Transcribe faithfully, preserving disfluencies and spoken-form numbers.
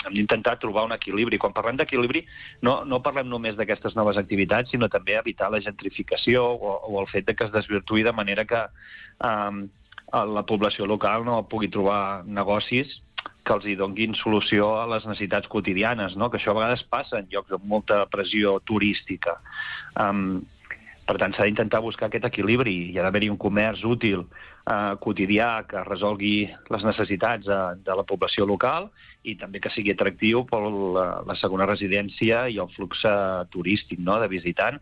hem d'intentar trobar un equilibri. Quan parlem d'equilibri, no, no parlem només d'aquestes noves activitats, sinó també evitar la gentrificació o, o el fet de que es desvirtuï de manera que eh, la població local no pugui trobar negocis que els hi donguin solució a les necessitats quotidianes, no? Que això a vegades passa en llocs amb molta pressió turística. Um, per tant, s'ha d'intentar buscar aquest equilibri. Hi ha d'haver-hi un comerç útil, eh, quotidià, que resolgui les necessitats de, de la població local i també que sigui atractiu per la, la segona residència i el flux turístic, no?, de visitant,